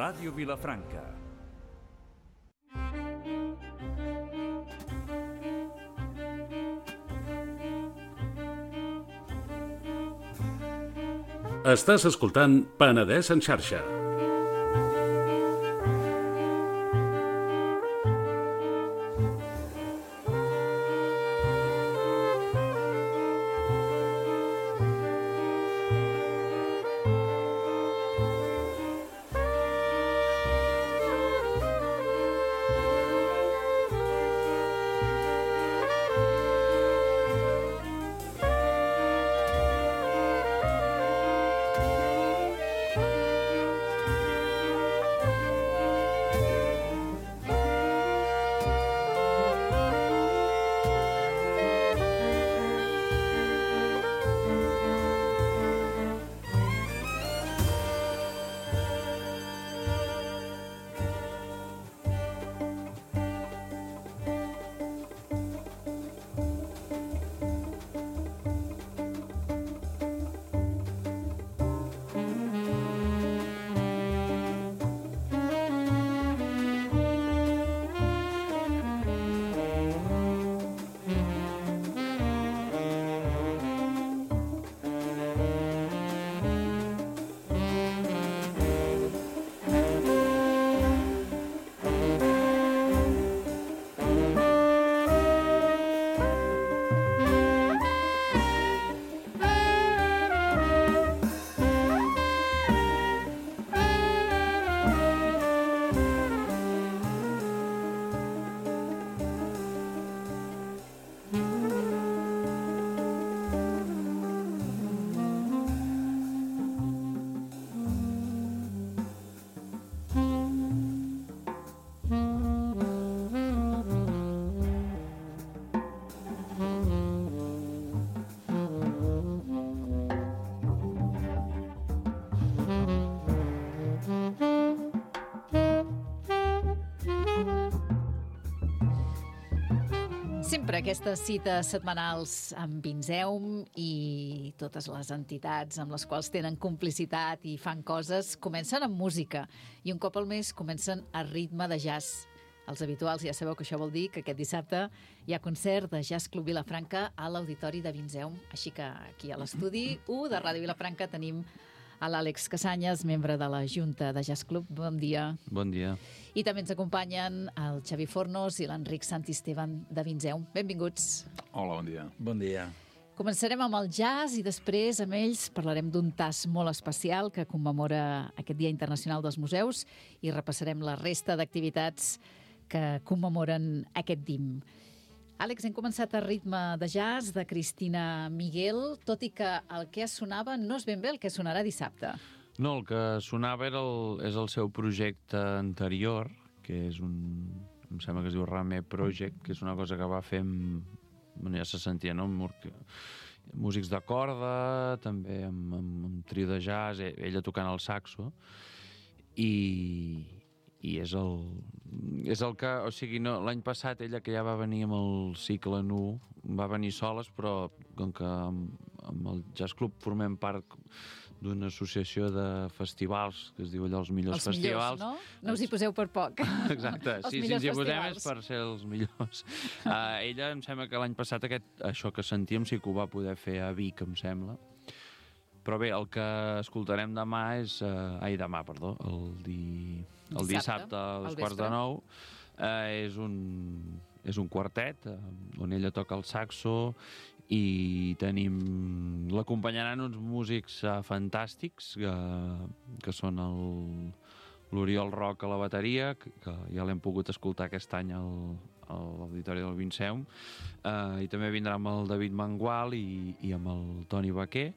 Ràdio Vilafranca. Estàs escoltant Penedès en xarxa. Sempre aquestes cites setmanals amb Vinzeum i totes les entitats amb les quals tenen complicitat i fan coses comencen amb música i un cop al mes comencen a ritme de jazz. Els habituals ja sabeu que això vol dir que aquest dissabte hi ha concert de Jazz Club Vilafranca a l'Auditori de Vinzeum. Així que aquí a l'estudi 1 de Ràdio Vilafranca tenim a l'Àlex Casanyes, membre de la Junta de Jazz Club. Bon dia. Bon dia. I també ens acompanyen el Xavi Fornos i l'Enric Santisteban de Vinzeum. Benvinguts. Hola, bon dia. Bon dia. Començarem amb el jazz i després amb ells parlarem d'un tas molt especial que commemora aquest Dia Internacional dels Museus i repassarem la resta d'activitats que commemoren aquest DIM. Àlex, hem començat a ritme de jazz de Cristina Miguel, tot i que el que sonava no és ben bé el que sonarà dissabte. No, el que sonava és el seu projecte anterior, que és em sembla que es diu Rame Project, que és una cosa que va fer bueno, ja se sentia, no? Músics de corda, també amb trio de jazz, ella tocant el saxo, i és el que, o sigui, no, l'any passat ella, que ja va venir amb el cicle nu, va venir soles, però com que amb el Jazz Club formem part d'una associació de festivals, que es diu allò els millors festivals. Els millors, no? No us hi poseu per poc. Exacte, sí, si ens hi posem és per ser els millors. Ella, em sembla que l'any passat això que sentíem sí que ho va poder fer a Vic, em sembla. Però bé, el que escoltarem demà és... el dissabte a les 8:45 és un quartet on ella toca el saxo i l'acompanyaran uns músics fantàstics que són l'Oriol Roc a la bateria, que ja l'hem pogut escoltar aquest any a l'Auditori del Vinceum, i també vindrà amb el David Mangual i amb el Toni Baquer.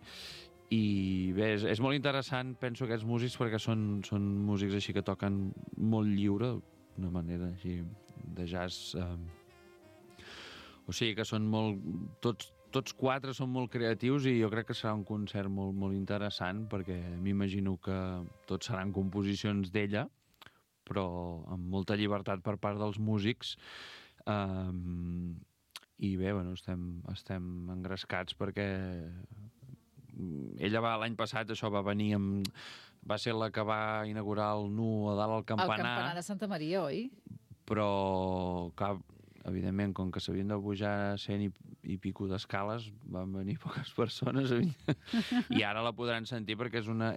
I bé, és molt interessant, penso, aquests músics, perquè són músics així que toquen molt lliure, d'una manera així de jazz, o sigui que són tots quatre són molt creatius i jo crec que serà un concert molt, molt interessant, perquè m'imagino que tots seran composicions d'ella, però amb molta llibertat per part dels músics, i bé, bueno, estem engrescats perquè ella l'any passat va venir amb va ser la que va inaugurar el Nu a dalt al campanar. El campanar de Santa Maria, oi? Però, evidentment, com que s'havien de pujar 100 i pico d'escales, van venir poques persones i ara la podran sentir perquè és una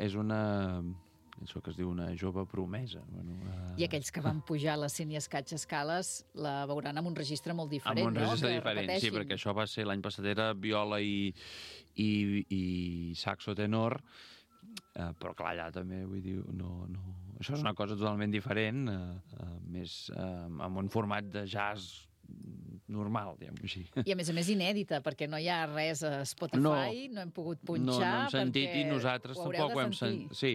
això que es diu una jove promesa. Bueno, I aquells que van pujar les 100 i escaig escales la veuran amb un registre molt diferent, no? Amb un registre diferent, sí, perquè això va ser l'any passat era viola i saxo tenor, però clar, allà també, vull dir, no... Això és una cosa totalment diferent, més amb un format de jazz normal, diguem-ho així. I a més inèdita, perquè no hi ha res a Spotify, no hem pogut punxar, no hem sentit i nosaltres tampoc ho hem sentit. Sí,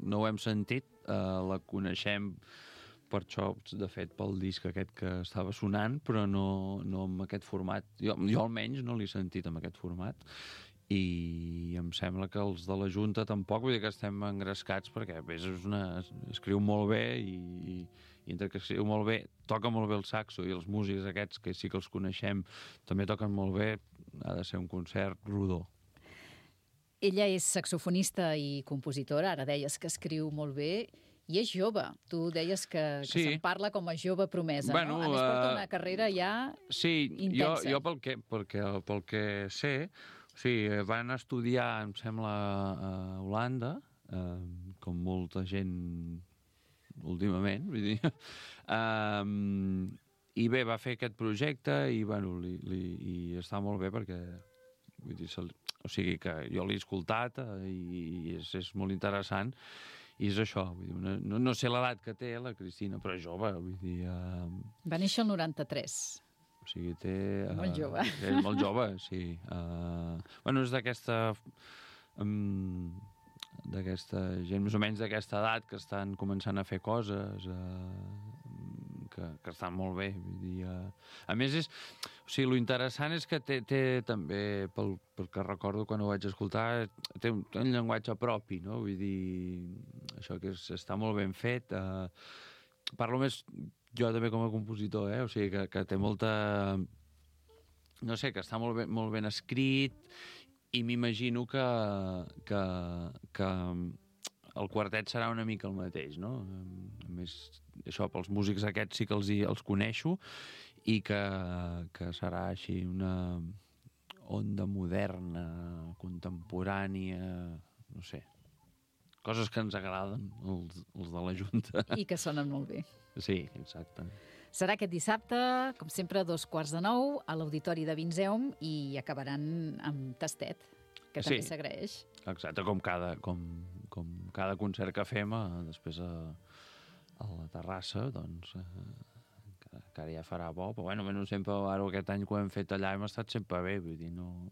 no ho hem sentit, la coneixem per això, de fet, pel disc aquest que estava sonant, però no amb aquest format. Jo almenys no l'he sentit amb aquest format, i em sembla que els de la Junta tampoc, vull dir que estem engrescats perquè a més escriu molt bé i entre que escriu molt bé, toca molt bé el saxo i els músics aquests que sí que els coneixem també toquen molt bé, ha de ser un concert rodó. Ella és saxofonista i compositora, ara deies que escriu molt bé i és jove. Tu deies que se'n parla com a jove promesa, no? A més porta una carrera ja intensa. Sí, jo pel que sé, sí, van estudiar, em sembla, a Holanda, com molta gent últimament, vull dir, i bé, va fer aquest projecte i, bueno, i està molt bé perquè, vull dir, o sigui que jo l'he escoltat i és molt interessant i és això, vull dir, no sé l'edat que té la Cristina, però és jove, vull dir... Va néixer el 93. O sigui, té... Molt jove. És molt jove, sí. Bueno, és d'aquesta gent, més o menys d'aquesta edat, que estan començant a fer coses, que estan molt bé. Vull dir, a més, o sigui, lo interessant és que té també, pel que recordo quan ho vaig escoltar, té un llenguatge propi, no? Vull dir, això que està molt ben fet. Parlo més jo també com a compositor, o sigui, que té molta... No sé, que està molt ben escrit i m'imagino que el quartet serà una mica el mateix, no? A més, això, pels músics aquests sí que els coneixo i que serà així una onda moderna, contemporània, no sé, coses que ens agraden, els de la Junta. I que sonen molt bé. Sí, exacte. Serà aquest dissabte, com sempre, a 8:45, a l'Auditori de Vinzeum, i acabaran amb tastet, que també s'agraeix. Exacte, com cada concert que fem, després a la terrassa, doncs, que ara ja farà bo, però bueno, sempre, ara aquest any que ho hem fet allà hem estat sempre bé, vull dir, no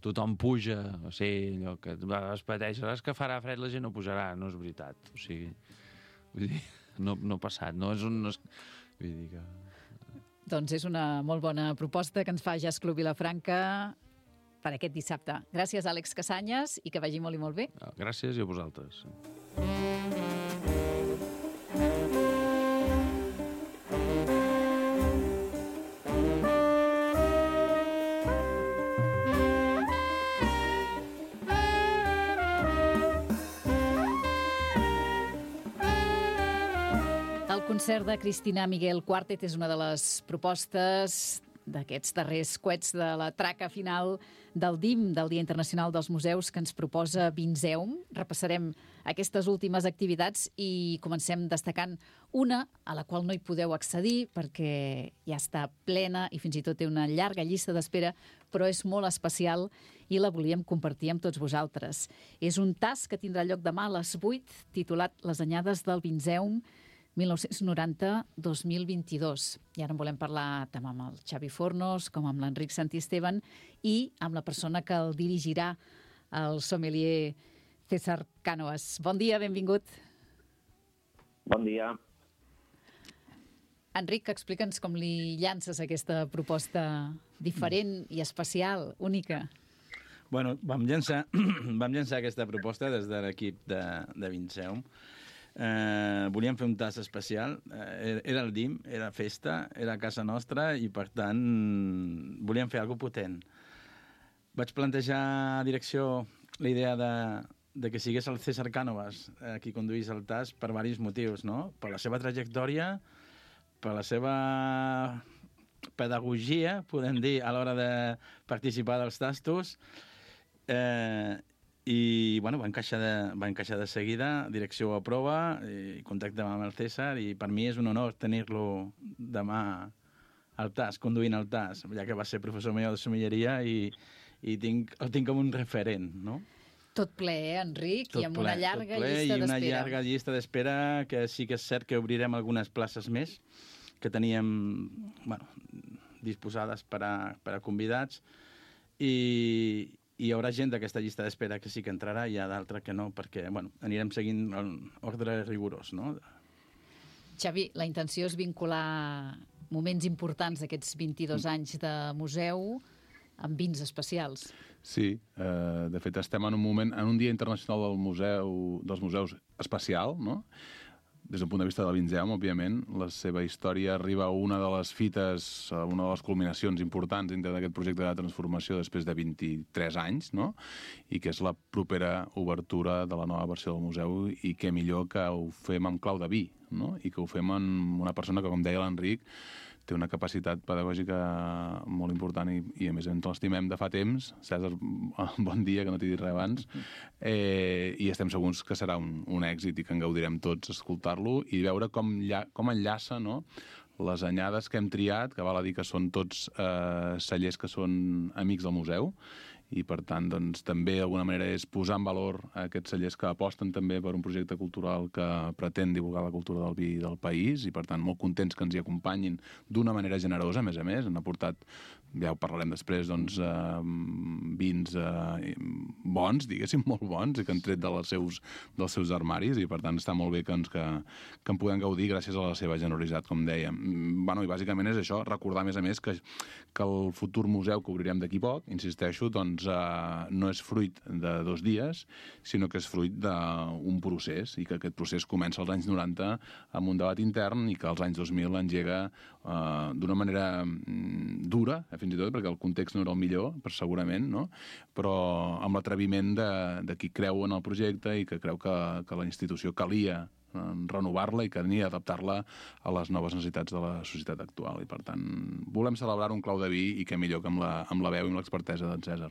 tothom puja, o sigui, allò que es pateix, saps que farà fred, la gent no pujarà, no és veritat, o sigui, vull dir, no ha passat, no és un... Vull dir que... Doncs és una molt bona proposta que ens fa Jazz Club Vilafranca per aquest dissabte. Gràcies, Àlex Casanyes, i que vagi molt i molt bé. Gràcies i a vosaltres. El concert de Cristina Miguel Quartet és una de les propostes d'aquests darrers coets de la traca final del DIM, del Dia Internacional dels Museus, que ens proposa Vinzeum. Repassarem aquestes últimes activitats i comencem destacant una a la qual no hi podeu accedir perquè ja està plena i fins i tot té una llarga llista d'espera, però és molt especial i la volíem compartir amb tots vosaltres. És un tas que tindrà lloc demà a les 8, titulat Les anyades del Vinzeum 1990-2022. I ara en volem parlar tant amb el Xavi Fornos com amb l'Enric Santisteban i amb la persona que el dirigirà, el sommelier César Cánovas. Bon dia, benvingut. Bon dia. Enric, explica'ns com li llances aquesta proposta diferent i especial, única. Bueno, vam llançar aquesta proposta des de l'equip de Vinzeum. Volíem fer un tas especial, era el DIM, era festa, era a casa nostra i per tant volíem fer alguna cosa potent. Vaig plantejar a direcció la idea de que sigués el César Cánovas qui conduís el TAS per diversos motius, no? Per la seva trajectòria, per la seva pedagogia, podem dir, a l'hora de participar dels tastos, i bueno, va encaixar de seguida, direcció a prova, i contacte amb el César, i per mi és un honor tenir-lo demà al TAS, conduint el TAS, ja que va ser professor meu de sommelleria i el tinc com un referent, no? Tot ple, Enric? Tot I amb ple, una llarga tot ple, llista i una d'espera. llarga llista d'espera, que sí que és cert que obrirem algunes places més, que teníem disposades per a convidats, i hi haurà gent d'aquesta llista d'espera que sí que entrarà, i hi ha d'altra que no, perquè anirem seguint l'ordre rigorós, no? Xavi, la intenció és vincular moments importants d'aquests 22 anys de museu amb vins especials. Sí, de fet estem en un dia internacional dels museus especial, no? Des d'un punt de vista del Vinzeum, òbviament, la seva història arriba a una de les fites, a una de les culminacions importants dintre d'aquest projecte de transformació després de 23 anys, no? I que és la propera obertura de la nova versió del museu, i què millor que ho fem amb clau de vi, no? I que ho fem amb una persona que, com deia l'Enric, té una capacitat pedagògica molt important i a més ens l'estimem de fa temps. Cèsar, bon dia, que no t'he dit res abans. I estem segurs que serà un èxit i que en gaudirem tots escoltar-lo i veure com enllaça, no?, les anyades que hem triat, que val a dir que són tots cellers que són amics del museu, i per tant doncs, també d'alguna manera és posar en valor aquests cellers que aposten també per un projecte cultural que pretén divulgar la cultura del vi del país, i per tant molt contents que ens hi acompanyin d'una manera generosa, a més, han aportat, ja ho parlarem després, doncs, vins bons, diguéssim, molt bons, i que han tret dels seus armaris, i per tant està molt bé que en podem gaudir gràcies a la seva generositat, com dèiem. I bàsicament és això, recordar a més que el futur museu que obrirem d'aquí poc, insisteixo, doncs no és fruit de 2 dies, sinó que és fruit d'un procés, i que aquest procés comença als anys 90 amb un debat intern i que als anys 2000 engega d'una manera dura, fins i tot, perquè el context no era el millor, segurament, no? Però amb l'atreviment de qui creu en el projecte i que creu que la institució calia renovar-la i que calia adaptar-la a les noves necessitats de la societat actual. I, per tant, volem celebrar un clau de vi, i què millor que amb la veu i amb l'expertesa d'en Cèsar.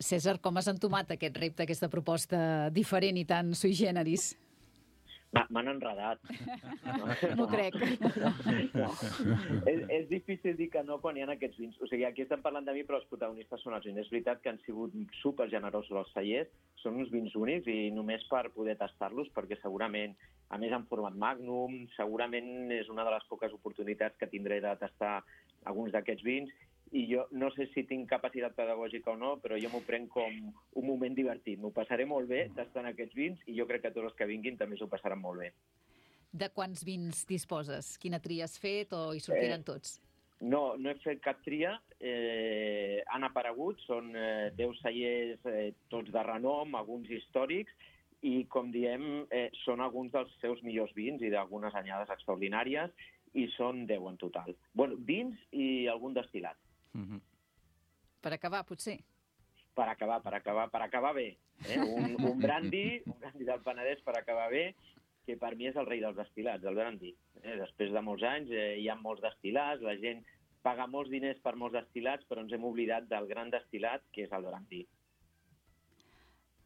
Cèsar, com has entomat aquest repte, aquesta proposta diferent i tan sui generis? M'han enredat. M'ho crec. No. És difícil dir que no quan hi ha aquests vins. O sigui, aquí estem parlant de mi, però els protagonistes són els vins. És veritat que han sigut supergenerosos els cellers, són uns vins únics, i només per poder tastar-los, perquè segurament, a més en format Magnum, segurament és una de les poques oportunitats que tindré de tastar alguns d'aquests vins, i jo no sé si tinc capacitat pedagògica o no, però jo m'ho prenc com un moment divertit. M'ho passaré molt bé tastant aquests vins, i jo crec que tots els que vinguin també s'ho passaran molt bé. De quants vins disposes? Quina tria has fet o hi sortiran tots? No he fet cap tria. Han aparegut, són 10 cellers, tots de renom, alguns històrics, i, com diem, són alguns dels seus millors vins i d'algunes anyades extraordinàries, i són 10 en total. Vins i algun destil·lat. Per acabar, potser? Per acabar bé. Un brandy del Penedès per acabar bé, que per mi és el rei dels destil·lats, el brandy. Després de molts anys hi ha molts destil·lats, la gent paga molts diners per molts destil·lats, però ens hem oblidat del gran destil·lat, que és el brandy.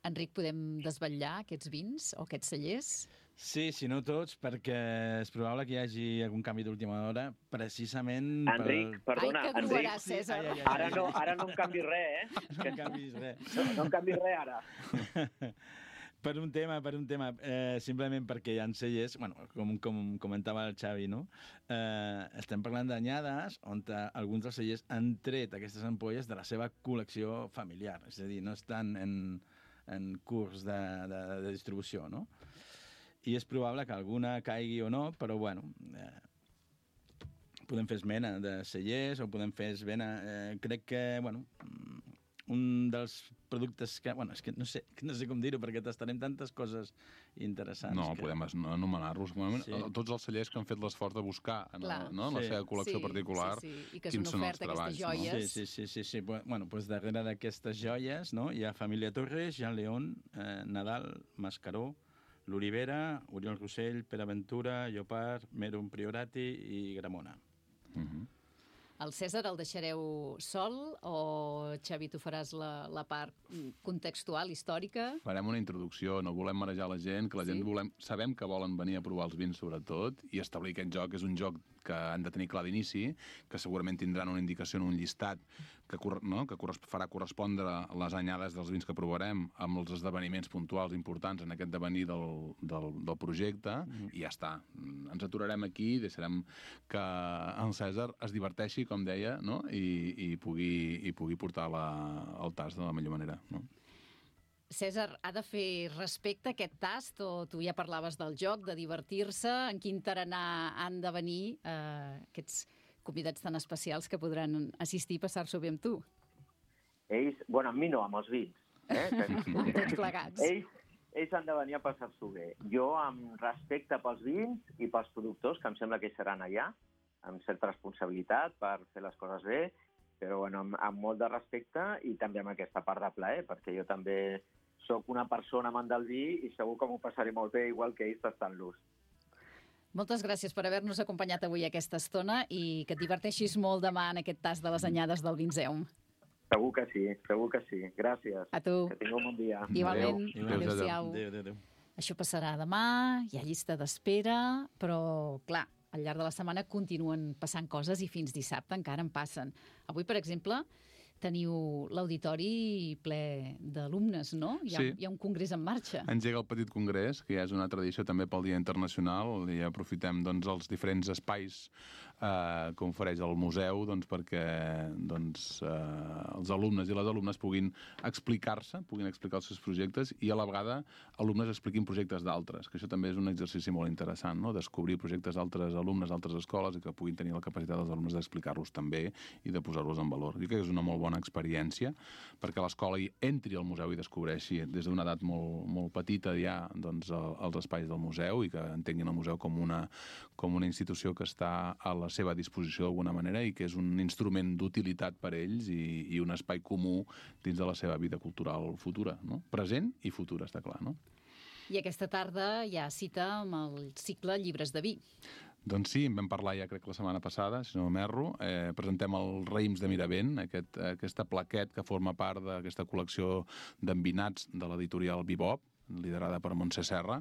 Enric, podem desvetllar aquests vins o aquests cellers? Sí, si no tots, perquè és probable que hi hagi algun canvi d'última hora, precisament... Enric, perdona, Ai, que gruaràs, Cèsar. Ara no em canvis res, No em canvis res. No em canvis res, ara. Per un tema, simplement perquè hi ha cellers, com comentava el Xavi, no? Estem parlant d'anyades on alguns dels cellers han tret aquestes ampolles de la seva col·lecció familiar, és a dir, no estan en curs de distribució, no? I és probable que alguna caigui o no, però podem fer esmena de cellers o podem fer esmena... crec que, un dels productes que... Bueno, és que no sé com dir-ho, perquè tastarem tantes coses interessants. No, podem anomenar-los. Sí. Tots els cellers que han fet l'esforç de buscar en la seva col·lecció particular i que són oferta, aquestes joies. Sí. Bueno, doncs darrere d'aquestes joies, no, hi ha Família Torres, Jean León, Nadal, Mascaró, l'Olivera, Oriol Rossell, Pere Ventura, Llopart, Merum Priorati i Gramona. El Cèsar el deixareu sol o, Xavi, tu faràs la part contextual, històrica? Farem una introducció, no volem marejar la gent, que la gent sabem que volen venir a provar els vins, sobretot, i establir aquest joc. És un joc que han de tenir clar d'inici, que segurament tindran una indicació en un llistat que farà correspondre les anyades dels vins que provarem amb els esdeveniments puntuals importants en aquest devenir del projecte, i ja està. Ens aturarem aquí, deixarem que el Cèsar es diverteixi, com deia, no? I pugui portar el tas de la millor manera, no? Cèsar, ha de fer respecte a aquest tast, o tu ja parlaves del joc, de divertir-se? En quin tarannà han de venir aquests convidats tan especials que podran assistir i passar-s'ho bé amb tu? Ells, bueno, amb mi no, amb els vins. Tots plegats. Ells han de venir a passar-s'ho bé. Jo, amb respecte pels vins i pels productors, que em sembla que seran allà, amb certa responsabilitat per fer les coses bé, però bueno, amb molt de respecte i també amb aquesta part de plaer, perquè jo també soc una persona amant del vi i segur que m'ho passaré molt bé, igual que ells tastant-los. Moltes gràcies per haver-nos acompanyat avui aquesta estona i que et diverteixis molt demà en aquest tas de les anyades del Vinzeum. Segur que sí. Gràcies. A tu. Que tingueu un bon dia. Igualment. Adéu-siau. Adéu. Això passarà demà, hi ha llista d'espera, però, clar, al llarg de la setmana continuen passant coses i fins dissabte encara en passen. Avui, per exemple, teniu l'auditori ple d'alumnes, no? Hi ha un congrés en marxa. Engega el Petit Congrés, que ja és una tradició també pel Dia Internacional, i aprofitem els diferents espais que ofereix el museu perquè els alumnes i les alumnes puguin explicar-se, puguin explicar els seus projectes i a la vegada alumnes expliquin projectes d'altres, que això també és un exercici molt interessant, no? Descobrir projectes d'altres alumnes d'altres escoles i que puguin tenir la capacitat dels alumnes d'explicar-los també i de posar-los en valor. Jo crec que és una molt bona experiència perquè l'escola hi entri al museu i descobreixi des d'una edat molt petita ja els espais del museu i que entenguin el museu com una institució que està a la seva disposició d'alguna manera i que és un instrument d'utilitat per ells i un espai comú dins de la seva vida cultural futura, no? Present i futura, està clar, no? I aquesta tarda hi ha cita amb el cicle Llibres de vi. Doncs sí, en vam parlar ja crec la setmana passada, si no m'erro. Presentem el Raïms de Miravent, aquesta plaquet que forma part d'aquesta col·lecció d'envinats de l'editorial Bebop, liderada per Montse Serra,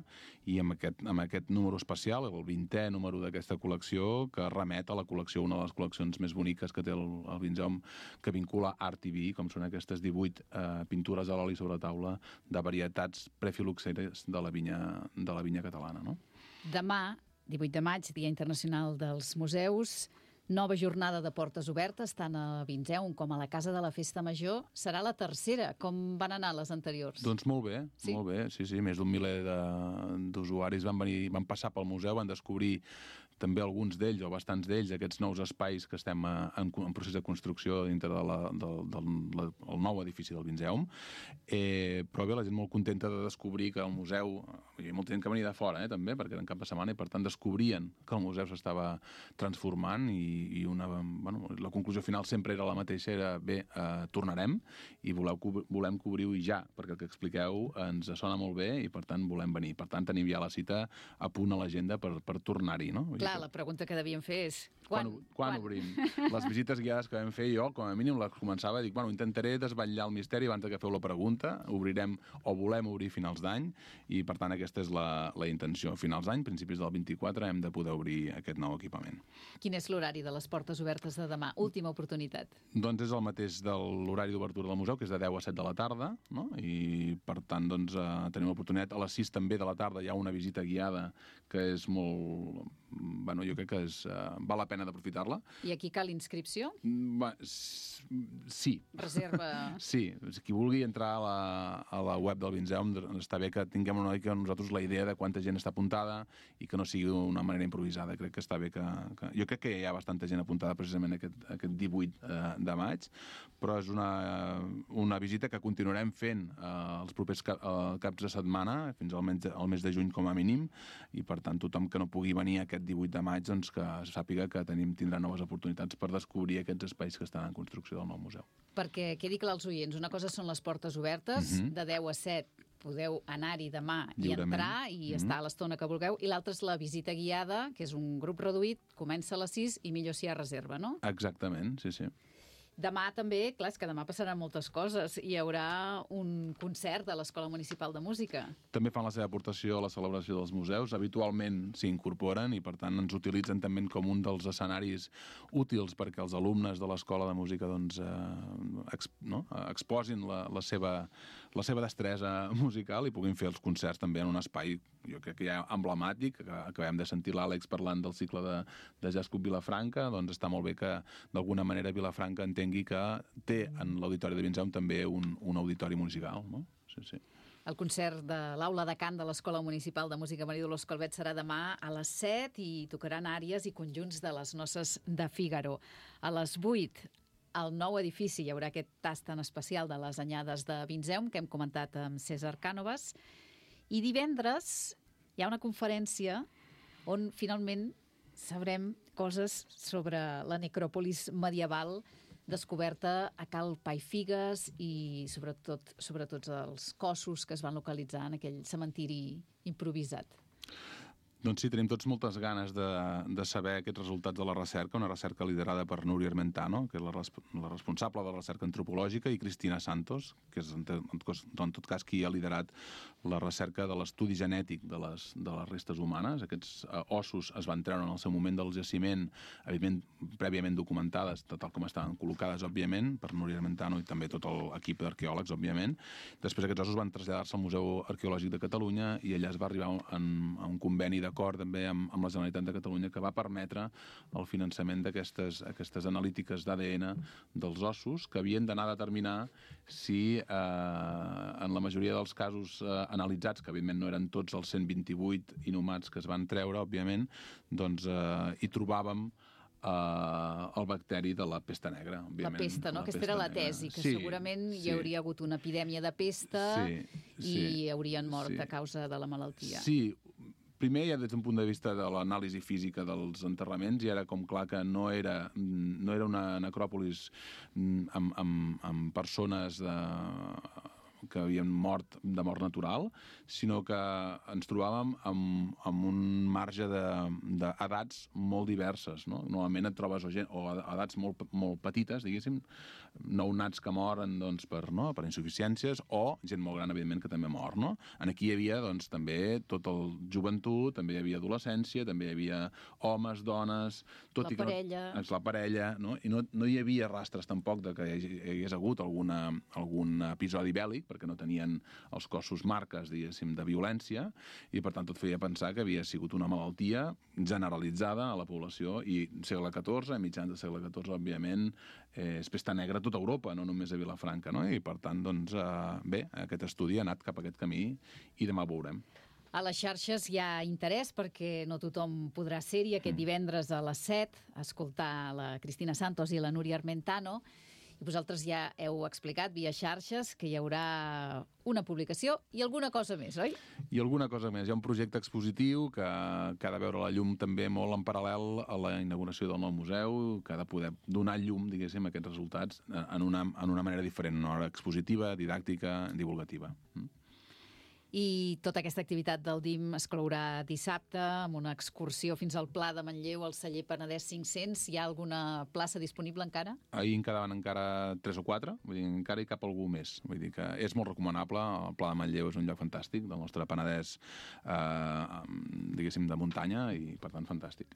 i amb aquest número especial, el 20è número d'aquesta col·lecció, que remet a la col·lecció, una de les col·leccions més boniques que té el Vinzeum, que vincula art i vi, com són aquestes 18 pintures a l'oli sobre taula de varietats prefiloxeres de la vinya catalana, no? Demà, 18 de maig, Dia Internacional dels Museus, nova jornada de portes obertes, tant a Vinzeum com a la Casa de la Festa Major. Serà la tercera. Com van anar les anteriors? Doncs molt bé, molt bé. Sí, més d'un miler d'usuaris van passar pel museu, van descobrir també alguns d'ells, o bastants d'ells, aquests nous espais que estem en procés de construcció dintre del nou edifici del Vinzeum. Però bé, la gent molt contenta de descobrir que el museu... Hi ha molta gent que venia de fora, també, perquè era en cap de setmana, i per tant descobrien que el museu s'estava transformant i la conclusió final sempre era la mateixa, era bé, tornarem i volem cobrir-ho ja, perquè el que expliqueu ens sona molt bé i per tant volem venir. Per tant tenim ja la cita a punt a l'agenda per tornar-hi, no? Clar, la pregunta que devíem fer és... Quan obrim? Les visites guiades que vam fer jo, com a mínim, les començava a dir, intentaré desvetllar el misteri abans que feu la pregunta, obrirem o volem obrir finals d'any, i per tant aquesta és la intenció. Finals d'any, principis del 24, hem de poder obrir aquest nou equipament. Quin és l'horari de les portes obertes de demà? Última oportunitat. Doncs és el mateix de l'horari d'obertura del museu, que és de 10 a 7 de la tarda, no? I per tant tenim l'oportunitat. A les 6 també de la tarda hi ha una visita guiada que és molt... jo crec que val la pena d'aprofitar-la. I aquí cal inscripció? Sí. Reserva... Sí. Qui vulgui entrar a la web del Vinzeum, està bé que tinguem una mica nosaltres la idea de quanta gent està apuntada i que no sigui d'una manera improvisada. Crec que està bé que... Jo crec que hi ha bastanta bastanta gent apuntada precisament aquest 18 de maig, però és una visita que continuarem fent els propers caps de setmana, fins al mes de juny com a mínim, i per tant tothom que no pugui venir aquest 18 de maig doncs que sàpiga que tindrà noves oportunitats per descobrir aquests espais que estan en construcció del nou museu. Perquè quedi clar als oients, una cosa són les portes obertes, de 10 a 7 podeu anar-hi demà i entrar i estar a l'estona que vulgueu, i l'altra és la visita guiada, que és un grup reduït, comença a les 6 i millor si hi ha reserva, no? Exactament, sí. Demà també, clar, és que demà passaran moltes coses. Hi haurà un concert de l'Escola Municipal de Música. També fan la seva aportació a la celebració dels museus. Habitualment s'hi incorporen i, per tant, ens utilitzen també com un dels escenaris útils perquè els alumnes de l'Escola de Música doncs, exposin la seva destresa musical i puguin fer els concerts també en un espai, jo crec que ja emblemàtic, que acabem de sentir l'Àlex parlant del cicle de Jazz Club Vilafranca, doncs està molt bé que d'alguna manera Vilafranca entengui que té en l'Auditori de Vinzeu també un auditori musical, no? Sí. El concert de l'Aula de Cant de l'Escola Municipal de Música Maria Dolors Calvet serà demà a les 7 i tocaran àries i conjunts de les Noces de Fígaro. A les 8, al nou edifici, hi haurà aquest tast tan especial de les anyades de Vinzeum que hem comentat amb César Cànovas. I divendres hi ha una conferència on finalment sabrem coses sobre la necròpolis medieval descoberta a Cal Paifigues i sobretot els cossos que es van localitzar en aquell cementiri improvisat. Doncs sí, tenim tots moltes ganes de saber aquests resultats de la recerca, una recerca liderada per Núria Armentano, que és la responsable de la recerca antropològica, i Cristina Santos, que és en tot cas qui ha liderat la recerca de l'estudi genètic de les restes humanes. Aquests ossos es van treure en el seu moment del jaciment, evidentment prèviament documentades, tal com estaven col·locades, òbviament, per Núria Armentano i també tot l'equip d'arqueòlegs, òbviament. Després aquests ossos van traslladar-se al Museu Arqueològic de Catalunya i allà es va arribar a un conveni d'acord també amb la Generalitat de Catalunya que va permetre el finançament d'aquestes analítiques d'ADN dels ossos que havien d'anar a determinar si en la majoria dels casos analitzats, que evidentment no eren tots els 128 inhumats que es van treure, òbviament, doncs hi trobàvem el bacteri de la pesta negra, òbviament. La pesta, no? Aquesta era la tesi, que segurament hi hauria hagut una epidèmia de pesta i haurien mort a causa de la malaltia. Sí, primer, ja des d'un punt de vista de l'anàlisi física dels enterraments, ja era com clar que no era una necròpolis amb persones que havien mort de mort natural, sinó que ens trobàvem amb un marge d'edats molt diverses, no? Normalment et trobes o edats molt petites, diguéssim, nounats que moren per insuficiències, o gent molt gran, evidentment, que també mor, no? Aquí hi havia també tot el joventut, també hi havia adolescència, també hi havia homes, dones... La parella, no? I no hi havia rastres tampoc de que hi hagués hagut algun episodi bèl·lic, perquè no tenien els cossos marques, diguéssim, de violència, i per tant tot feia pensar que havia sigut una malaltia generalitzada a la població, i segle XIV, mitjans del segle XIV, òbviament, és pesta negra a tota Europa, no només a Vilafranca, no? I per tant, doncs, bé, aquest estudi ha anat cap a aquest camí i demà ho veurem. A les xarxes hi ha interès perquè no tothom podrà ser-hi aquest divendres a les 7 a escoltar la Cristina Santos i la Núria Armentano. I vosaltres ja heu explicat via xarxes que hi haurà una publicació i alguna cosa més, oi? I alguna cosa més. Hi ha un projecte expositiu que ha de veure la llum també molt en paral·lel a la inauguració del nou museu, que ha de poder donar llum, diguéssim, a aquests resultats en una manera diferent, una hora expositiva, didàctica, divulgativa. I tota aquesta activitat del DIM es clourà dissabte amb una excursió fins al Pla de Manlleu al celler Penedès 500. Hi ha alguna plaça disponible encara? Ahir en quedaven encara 3 o 4, vull dir, encara hi cap algú més. Vull dir que és molt recomanable, el Pla de Manlleu és un lloc fantàstic del nostre Penedès, diguéssim, de muntanya, i per tant fantàstic.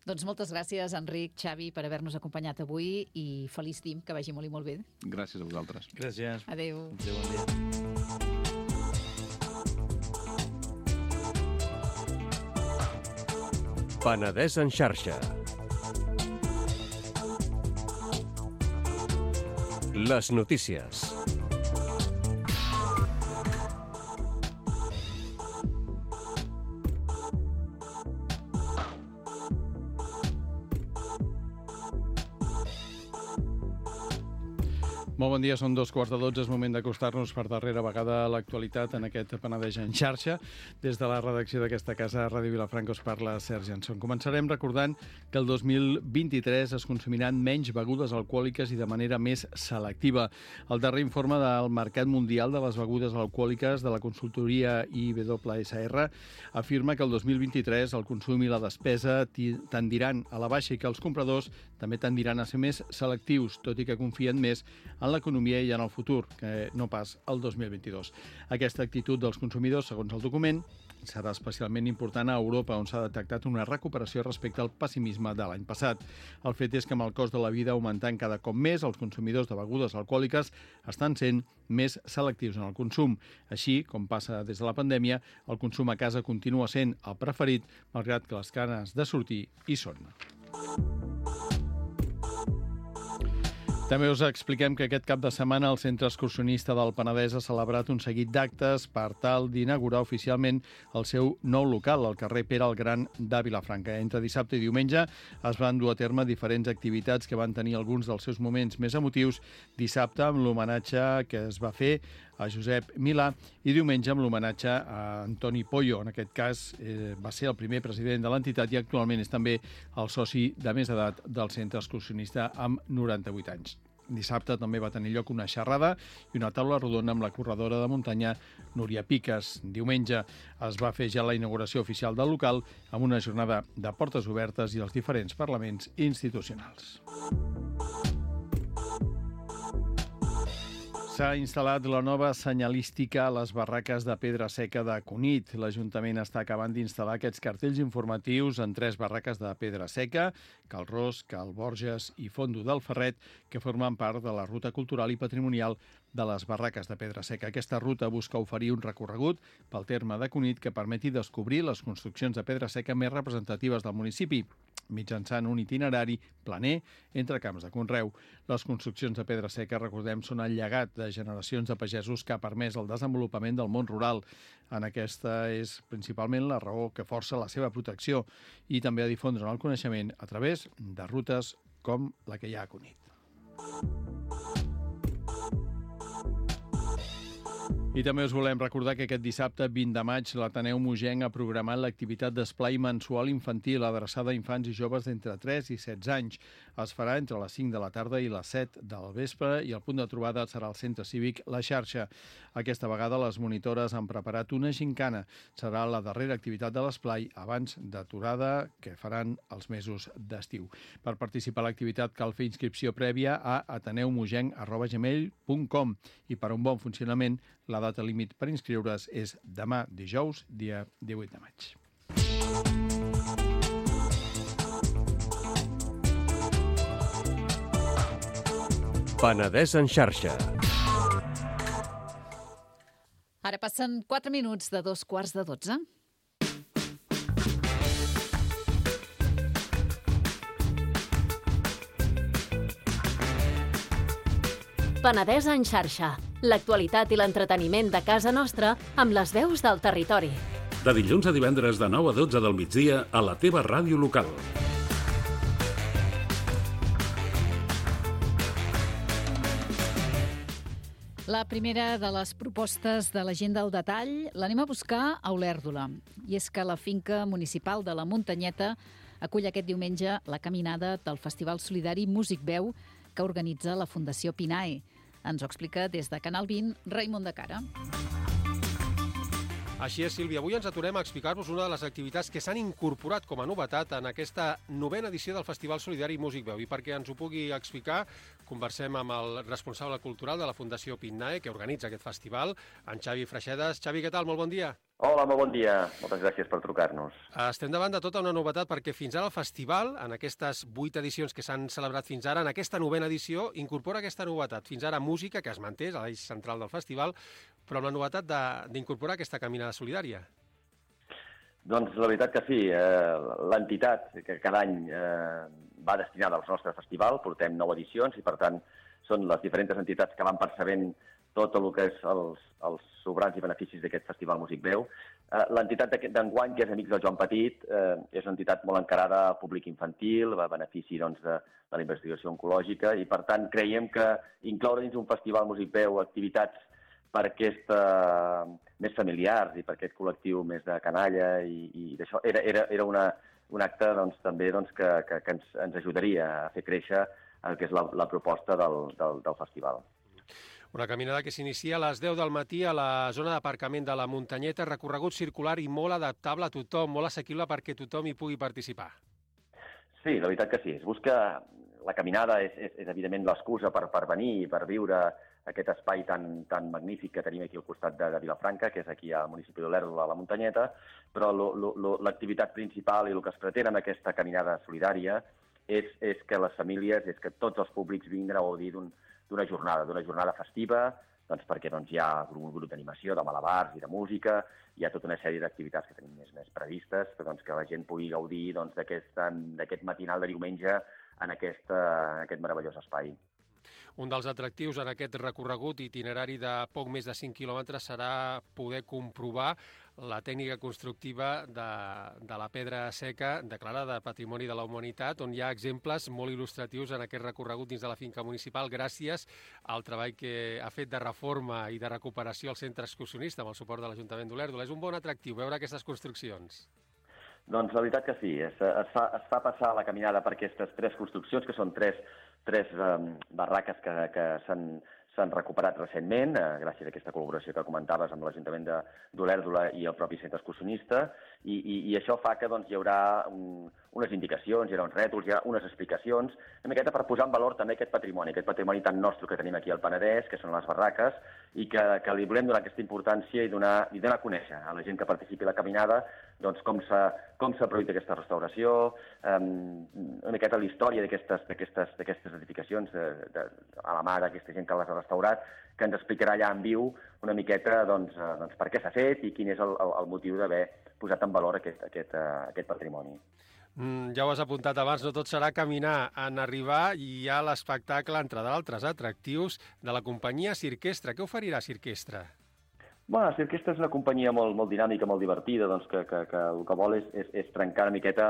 Doncs moltes gràcies, Enric, Xavi, per haver-nos acompanyat avui, i feliç DIM, que vagi molt i molt bé. Gràcies a vosaltres. Gràcies. Adéu. Adéu, bon dia. Penedès en xarxa. Les notícies. Molt bon dia, són 2:15, és moment d'acostar-nos per darrera vegada a l'actualitat en aquest Penedès en xarxa. Des de la redacció d'aquesta casa, Ràdio Vilafranca, us parla Sergi Jansson. Començarem recordant que el 2023 es consumiran menys begudes alcohòliques i de manera més selectiva. El darrer informe del Mercat Mundial de les Begudes Alcohòliques de la consultoria IWSR afirma que el 2023 el consum i la despesa tendiran a la baixa i que els compradors també tendiran a ser més selectius, tot i que confien més en l'economia i en el futur, que no pas el 2022. Aquesta actitud dels consumidors, segons el document, serà especialment important a Europa, on s'ha detectat una recuperació respecte al pessimisme de l'any passat. El fet és que amb el cost de la vida augmentant cada cop més, els consumidors de begudes alcohòliques estan sent més selectius en el consum. Així, com passa des de la pandèmia, el consum a casa continua sent el preferit, malgrat que les ganes de sortir hi són. També us expliquem que aquest cap de setmana el Centre Excursionista del Penedès ha celebrat un seguit d'actes per tal d'inaugurar oficialment el seu nou local al carrer Pere el Gran de Vilafranca. Entre dissabte i diumenge es van dur a terme diferents activitats que van tenir alguns dels seus moments més emotius. Dissabte amb l'homenatge que es va fer a Josep Milà i diumenge amb l'homenatge a Antoni Pollo. En aquest cas va ser el primer president de l'entitat i actualment és també el soci de més edat del Centre Excursionista amb 98 anys. Dissabte també va tenir lloc una xerrada i una taula rodona amb la corredora de muntanya Núria Piques. Diumenge es va fer ja la inauguració oficial del local amb una jornada de portes obertes i els diferents parlaments institucionals. S'ha instal·lat la nova senyalística a les barraques de pedra seca de Cunit. L'Ajuntament està acabant d'instal·lar aquests cartells informatius en 3 barraques de pedra seca, Cal Ros, Cal Borges i Fondo del Ferret, que formen part de la ruta cultural i patrimonial de les barraques de pedra seca. Aquesta ruta busca oferir un recorregut pel terme de Cunit que permeti descobrir les construccions de pedra seca més representatives del municipi, mitjançant un itinerari planer entre camps de conreu. Les construccions de pedra seca, recordem, són el llegat de generacions de pagesos que ha permès el desenvolupament del món rural. En aquesta és principalment la raó que força la seva protecció i també a difondre el coneixement a través de rutes com la que hi ha a Cunit. I també us volem recordar que aquest dissabte 20 de maig l'Ateneu Mogenc ha programat l'activitat d'esplai mensual infantil adreçada a infants i joves d'entre 3 i 16 anys. Es farà entre les 5 de la tarda i les 7 del vespre i el punt de trobada serà el Centre Cívic La Xarxa. Aquesta vegada les monitores han preparat una gincana. Serà la darrera activitat de l'esplai abans d'aturada que faran els mesos d'estiu. Per participar a l'activitat cal fer inscripció prèvia a ateneumogenc@gmail.com i per a un bon funcionament la data límit per inscriure's és demà dijous, dia 18 de maig. Penedès en xarxa. Ara passen 4 minuts de 2:15. Penedès en xarxa. L'actualitat i l'entreteniment de casa nostra amb les veus del territori. De dilluns a divendres de 9 a 12 del migdia a la teva ràdio local. La primera de les propostes de la gent del detall l'anem a buscar a Olèrdola. I és que la finca municipal de la Muntanyeta acull aquest diumenge la caminada del Festival Solidari Músic Veu que organitza la Fundació Pinae. Ens ho explica des de Canal 20, Raimon de Cara. Així és, Sílvia. Avui ens aturem a explicar-vos una de les activitats que s'han incorporat com a novetat en aquesta 9a edició del Festival Solidari Músic Veu. I perquè ens ho pugui explicar, conversem amb el responsable cultural de la Fundació Pinae, que organitza aquest festival, en Xavi Freixedes. Xavi, què tal? Molt bon dia. Hola, molt bon dia. Moltes gràcies per trucar-nos. Estem davant de tota una novetat perquè fins ara el festival, en aquestes 8 edicions que s'han celebrat fins ara, en aquesta 9a edició, incorpora aquesta novetat. Fins ara música, que es manté, és l'eix central del festival, però amb la novetat d'incorporar aquesta caminada solidària. Doncs la veritat que sí. L'entitat que cada any va destinada al nostre festival, portem 9 edicions i per tant són les diferents entitats que van percebent tot el que és els sobrants i beneficis d'aquest Festival Músic Veu. L'entitat d'enguany, que és Amics del Joan Petit, és una entitat molt encarada al públic infantil, va a benefici de la investigació oncològica, i per tant creiem que incloure dins un Festival Músic Veu activitats per més familiars i per aquest col·lectiu més de canalla i d'això, era un acte també que ens ajudaria a fer créixer el que és la proposta del festival. Una caminada que s'inicia a les 10 del matí a la zona d'aparcament de la Muntanyeta, recorregut circular i molt adaptable a tothom, molt assequible perquè tothom hi pugui participar. Sí, la veritat que sí. Es busca... La caminada és evidentment l'excusa per venir i per viure aquest espai tan magnífic que tenim aquí al costat de Vilafranca, que és aquí al municipi d'Olèrdola, a la Muntanyeta, però l'activitat principal i el que es pretén amb aquesta caminada solidària és que les famílies, és que tots els públics vinguin a gaudir d'una jornada festiva, doncs perquè hi ha un grup d'animació, de malabars i de música, hi ha tota una sèrie d'activitats que tenim més previstes, que la gent pugui gaudir d'aquest matinal de diumenge en aquest meravellós espai. Un dels atractius en aquest recorregut itinerari de poc més de 5 quilòmetres serà poder comprovar la tècnica constructiva de la pedra seca declarada Patrimoni de la Humanitat, on hi ha exemples molt il·lustratius en aquest recorregut dins de la finca municipal gràcies al treball que ha fet de reforma i de recuperació al centre excursionista amb el suport de l'Ajuntament d'Olèrdola. És un bon atractiu veure aquestes construccions. Doncs la veritat que sí. Es fa passar la caminada per aquestes 3 construccions, que són tres barraques que s'han recuperat recentment, gràcies a aquesta col·laboració que comentaves amb l'Ajuntament d'Olèrdola i el propi centre excursionista, i això fa que hi haurà unes indicacions, hi haurà uns rètols, hi haurà unes explicacions, una miqueta per posar en valor també aquest patrimoni tan nostre que tenim aquí al Penedès, que són les barraques, i que li volem donar aquesta importància i donar a conèixer a la gent que participi a la caminada com s'ha produït aquesta restauració, una miqueta la història d'aquestes edificacions a la mà d'aquesta gent que les ha restaurat, que ens explicarà allà en viu una miqueta per què s'ha fet i quin és el motiu d'haver posat en valor aquest patrimoni. Ja ho has apuntat abans, no tot serà caminar. En arribar hi ha l'espectacle, entre d'altres atractius, de la companyia Cirquestra. Què oferirà Cirquestra? Bueno, Cirquestra és una companyia molt dinàmica, molt divertida, que el que vol és trencar una miqueta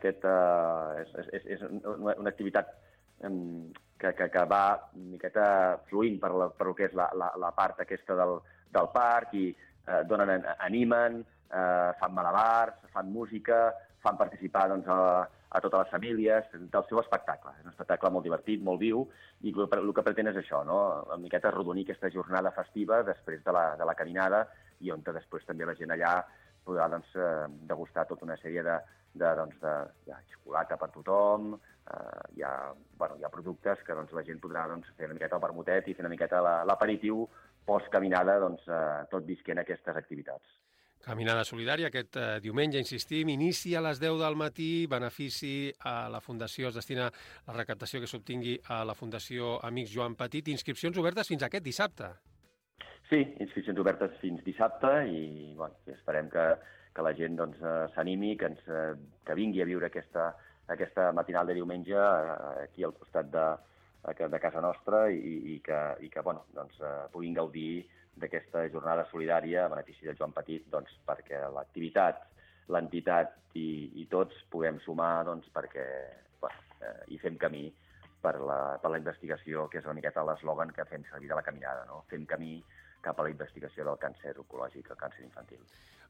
és una activitat que va una miqueta fluint per el que és la part aquesta del parc i animen, fan malabars, fan música, fan participar a totes les famílies del seu espectacle. És un espectacle molt divertit, molt viu, i el que pretén és això, una miqueta arrodonir aquesta jornada festiva després de la caminada, i on després també la gent allà podrà degustar tota una sèrie de xocolata per tothom, hi ha productes que la gent podrà fer una miqueta el vermutet i fer una miqueta l'aperitiu post-caminada, tot visquent aquestes activitats. Caminada solidària aquest diumenge, insistim, inicia a les 10 del matí, benefici a la Fundació, es destina la recaptació que s'obtingui a la Fundació Amics Joan Petit. Inscripcions obertes fins aquest dissabte. Sí, inscripcions obertes fins dissabte i esperem que la gent s'animi, que vingui a viure aquesta matinal de diumenge aquí al costat de casa nostra i que puguin gaudir d'aquesta jornada solidària a benefici de Joan Petit, perquè l'activitat, l'entitat i tots puguem sumar perquè hi fem camí per la investigació, que és una miqueta l'eslògan que fem servir de la caminada, no? Fem camí cap a la investigació del càncer oncològic, el càncer infantil.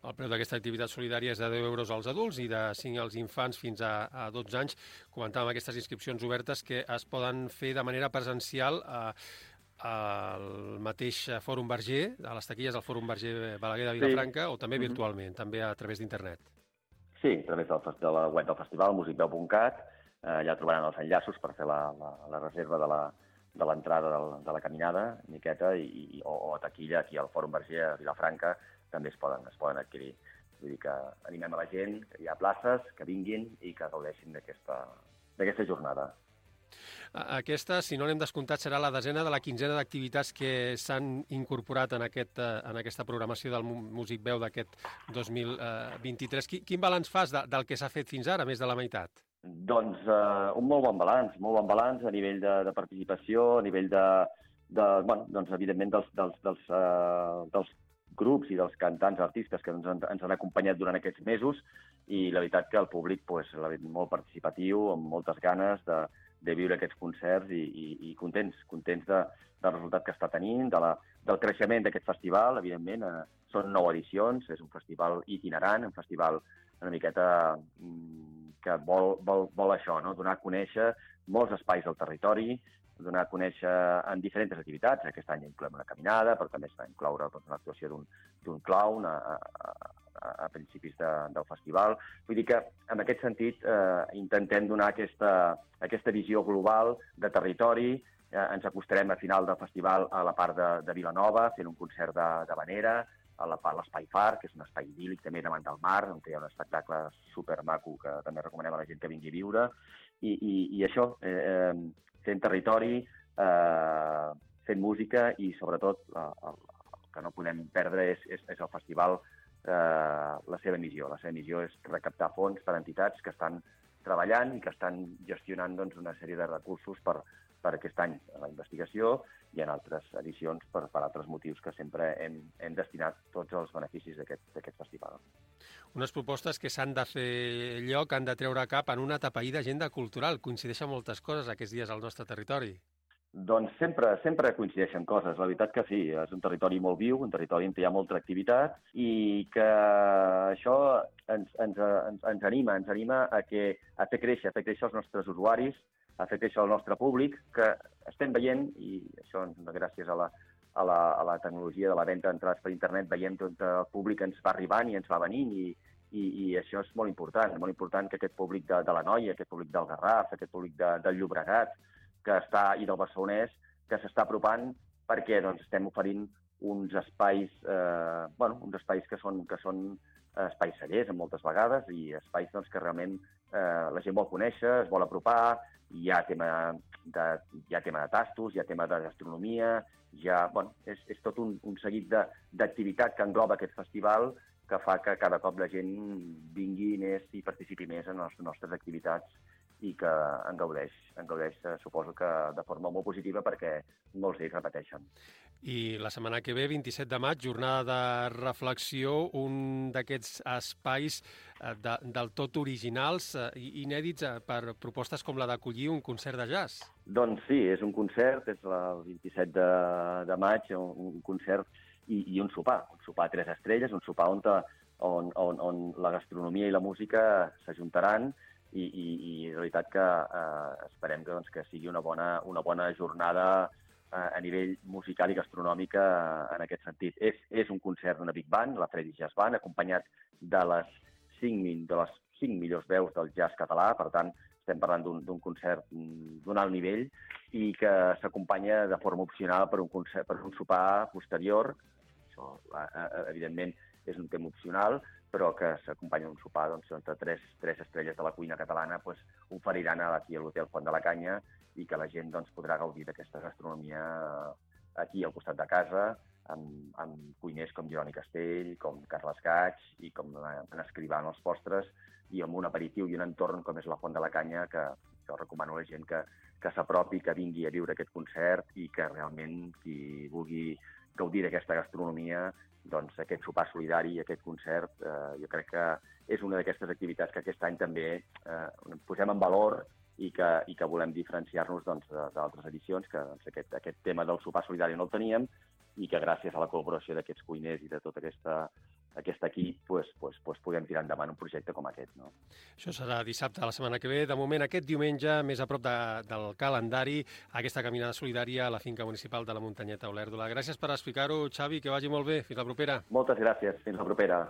El preu d'aquesta activitat solidària és de 10 euros als adults i de 5 als infants fins a 12 anys. Comentàvem aquestes inscripcions obertes que es poden fer de manera presencial al mateix Fòrum Verger, a les taquilles del Fòrum Verger Balaguer de Vilafranca, o també virtualment, també a través d'internet. Sí, a través de la web del festival, musicveu.cat, allà trobaran els enllaços per fer la reserva de l'entrada de la caminada, miqueta, o a taquilla aquí al Fòrum Verger a Vilafranca, també es poden adquirir. Vull dir que animem a la gent, que hi ha places, que vinguin i que gaudeixin d'aquesta jornada. Aquesta, si no l'hem descomptat, serà la desena de la quinzena d'activitats que s'han incorporat en aquesta programació del Músic Veu d'aquest 2023. Quin balanç fas del que s'ha fet fins ara, més de la meitat? Doncs un molt bon balanç a nivell de participació, a nivell evidentment, dels grups i dels cantants, artistes que ens han acompanyat durant aquests mesos, i la veritat que el públic l'ha vist molt participatiu, amb moltes ganes de viure aquests concerts i contents del resultat que està tenint, del creixement d'aquest festival. Evidentment, són 9 edicions, és un festival itinerant, un festival una miqueta que vol això, no? Donar a conèixer molts espais del territori, donar a conèixer en diferents activitats. Aquest any incloem una caminada, però també s'ha d'incloure l'actuació d'un clown a principis del festival. Vull dir que, en aquest sentit, intentem donar aquesta visió global de territori. Ens acostarem a final del festival a la part de Vilanova, fent un concert d'havanera, a l'Espai Far, que és un espai idíl·lic també davant del mar, on hi ha un espectacle supermaco que també recomanem a la gent que vingui a viure. I això, fent territori, fent música i, sobretot, el que no podem perdre és el festival, la seva missió. La seva missió és recaptar fons per a entitats que estan treballant i que estan gestionant una sèrie de recursos per aquest any a la investigació i en altres edicions per altres motius que sempre hem destinat tots els beneficis d'aquest festival. Unes propostes que s'han de fer lloc, han de treure cap en una atapeïda agenda cultural. Coincideixen moltes coses aquests dies al nostre territori. Doncs sempre coincideixen coses. La veritat que sí, és un territori molt viu, un territori on hi ha molta activitat i que això ens anima a fer créixer els nostres usuaris, a fer créixer el nostre públic, que estem veient, i això gràcies a la tecnologia de la venda d'entrades per internet, veiem que el públic ens va arribant i ens va venint, i això és molt important que aquest públic de l'Anoia, aquest públic del Garraf, aquest públic del Llobregat, i del Barcelonès, que s'està apropant perquè estem oferint uns espais que són espais cellers, moltes vegades, i espais que realment la gent vol conèixer, es vol apropar. Hi ha tema de tastos, hi ha tema de gastronomia, és tot un seguit d'activitats que engloba aquest festival que fa que cada cop la gent vingui més i participi més en les nostres activitats i que en gaudeix, suposo que de forma molt positiva, perquè molts d'ells repeteixen. I la setmana que ve, 27 de maig, jornada de reflexió, un d'aquests espais del tot originals i inèdits per propostes com la d'acollir un concert de jazz. Doncs sí, és un concert, és el 27 de maig, un concert i un sopar 3 estrelles, un sopar on la gastronomia i la música s'ajuntaran, i la veritat que esperem que sigui una bona jornada a nivell musical i gastronòmic en aquest sentit. És un concert d'una big band, la Freddy Jazz Band, acompanyat de les 5 millors veus del jazz català. Per tant, estem parlant d'un concert d'un alt nivell i que s'acompanya de forma opcional per un sopar posterior. Això, evidentment, és un tema opcional, però que s'acompanya d'un sopar entre 3 estrelles de la cuina catalana, oferiran aquí a l'Hotel Font de la Canya, i que la gent podrà gaudir d'aquesta gastronomia aquí al costat de casa, amb cuiners com Jeroni Castell, com Carles Gaig i com en Escrivà en els postres, i amb un aperitiu i un entorn com és la Font de la Canya, que jo recomano a la gent que s'apropi, que vingui a viure aquest concert i que realment qui vulgui gaudir d'aquesta gastronomia, aquest sopar solidari i aquest concert, jo crec que és una d'aquestes activitats que aquest any també posem en valor i que volem diferenciar-nos d'altres edicions, que aquest tema del sopar solidari no el teníem i que gràcies a la col·laboració d'aquests cuiners i de tot aquest equip podem tirar endavant un projecte com aquest. No? Això serà dissabte, la setmana que ve. De moment, aquest diumenge, més a prop del calendari, aquesta caminada solidària a la finca municipal de la Muntanyeta Olèrdola. Gràcies per explicar-ho, Xavi, que vagi molt bé. Fins la propera. Moltes gràcies. Fins la propera.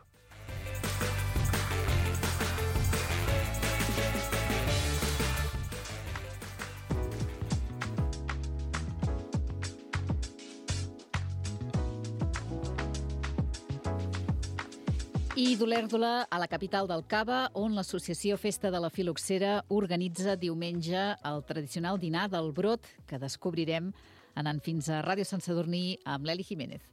I d'Olèrdola a la capital del Cava, on l'associació Festa de la Filoxera organitza diumenge el tradicional dinar del brot, que descobrirem anant fins a Ràdio Sant Sadurní amb l'Eli Jiménez.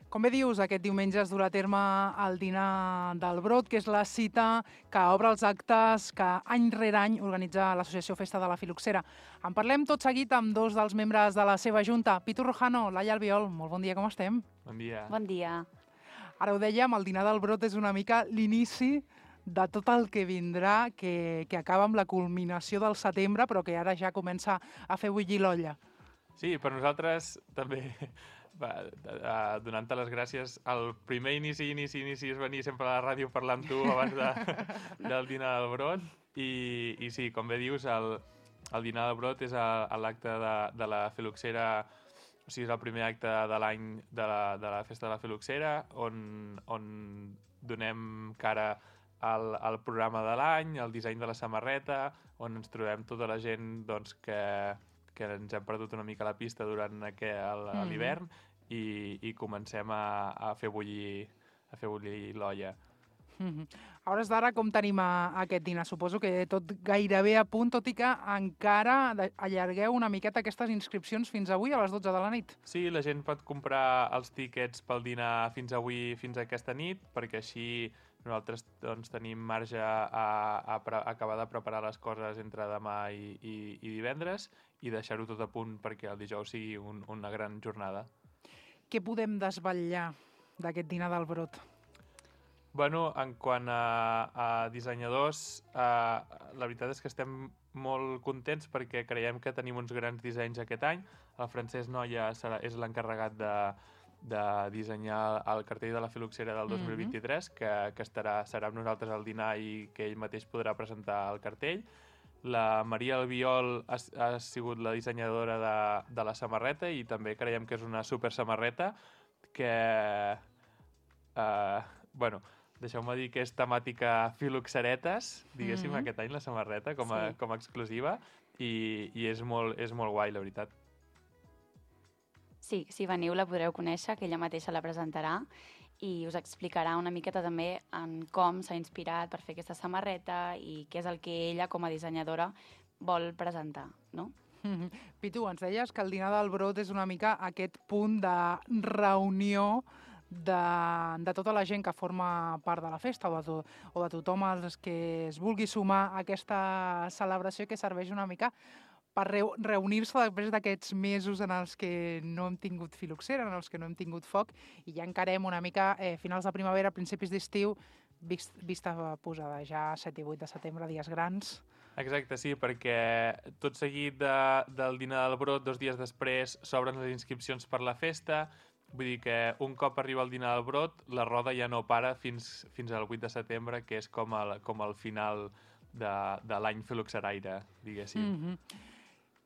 Com bé dius, aquest diumenge es durà a terme el dinar del Brot, que és la cita que obre els actes que any rere any organitza l'Associació Festa de la Filoxera. En parlem tot seguit amb dos dels membres de la seva junta. Pitu Rojano, Laia Albiol, molt bon dia, com estem? Bon dia. Bon dia. Ara ho dèiem, el dinar del Brot és una mica l'inici de tot el que vindrà, que acaba amb la culminació del setembre, però que ara ja comença a fer bullir l'olla. Sí, per nosaltres també... donant-te les gràcies, el primer inici és venir sempre a la ràdio parlar amb tu abans del dinar del Brot i sí, com bé dius, el dinar del Brot és l'acte de la Filoxera, o sigui, és el primer acte de l'any de la Festa de la Filoxera on donem cara al programa de l'any, al disseny de la samarreta, on ens trobem tota la gent doncs, que ens hem perdut una mica la pista durant l'hivern i comencem a fer bullir l'olla. A hores d'ara, com tenim aquest dinar? Suposo que tot gairebé a punt, tot i que encara allargueu una miqueta aquestes inscripcions fins avui a les 12 de la nit. Sí, la gent pot comprar els tíquets pel dinar fins avui, fins aquesta nit, perquè així nosaltres doncs, tenim marge a acabar de preparar les coses entre demà i divendres i deixar-ho tot a punt perquè el dijous sigui una gran jornada. Què podem desvetllar d'aquest dinar del Brot? Bueno, en quant a dissenyadors, la veritat és que estem molt contents perquè creiem que tenim uns grans dissenys aquest any. El Francesc Noia és l'encarregat de dissenyar el cartell de la Filoxera del 2023, que serà amb nosaltres al dinar i que ell mateix podrà presentar el cartell. La Maria Albiol ha sigut la dissenyadora de la samarreta i també creiem que és una super samarreta que, deixeu-me dir que és temàtica filoxeretes, diguéssim, aquest any la samarreta com a exclusiva i és molt guai, la veritat. Sí, si veniu la podreu conèixer, que ella mateixa la presentarà i us explicarà una miqueta també en com s'ha inspirat per fer aquesta samarreta i què és el que ella, com a dissenyadora, vol presentar, no? Pitu, ens deies que el dinar del Brot és una mica aquest punt de reunió de tota la gent que forma part de la festa o de tothom els que es vulgui sumar a aquesta celebració que serveix una mica per reunir-se després d'aquests mesos en els que no hem tingut filoxera, en els que no hem tingut foc, i ja encarem una mica finals de primavera, principis d'estiu, vista posada ja 7 i 8 de setembre, dies grans. Exacte, sí, perquè tot seguit del dinar del Brot, 2 dies després, s'obren les inscripcions per la festa. Vull dir que un cop arriba el dinar del Brot, la roda ja no para fins al 8 de setembre, que és com el final de l'any filoxeraire, diguéssim.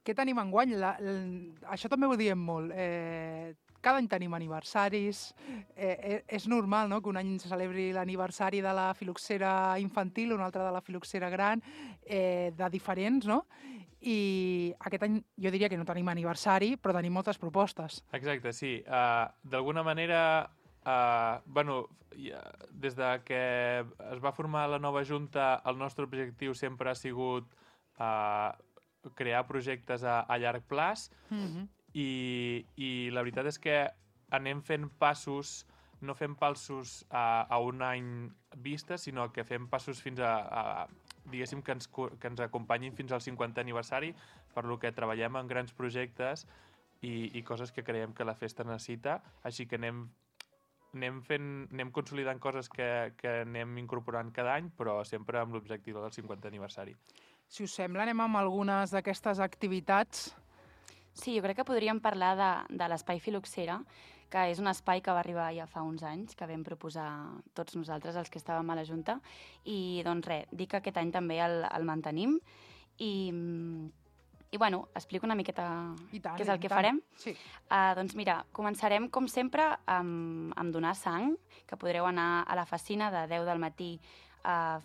Què tenim enguany? Això també ho diem molt. Cada any tenim aniversaris. És normal, no?, que un any se celebri l'aniversari de la filoxera infantil, un altre de la filoxera gran, de diferents, no? I aquest any jo diria que no tenim aniversari, però tenim moltes propostes. Exacte, sí. D'alguna manera, des de que es va formar la nova Junta, el nostre objectiu sempre ha sigut crear projectes a llarg plaç i la veritat és que anem fent passos, no fem passos a un any vista, sinó que fem passos fins diguéssim, que ens acompanyin fins al 50è aniversari, per lo que treballem en grans projectes i coses que creiem que la festa necessita, així que anem consolidant coses que anem incorporant cada any, però sempre amb l'objectiu del 50è aniversari. Si us sembla, anem amb algunes d'aquestes activitats. Sí, jo crec que podríem parlar de l'Espai Filoxera, que és un espai que va arribar ja fa uns anys, que vam proposar tots nosaltres, els que estàvem a la Junta, i doncs res, dic que aquest any també el mantenim i bueno, explico una miqueta què és el que farem. Sí. Doncs mira, començarem com sempre amb donar sang, que podreu anar a la Facina de 10 del matí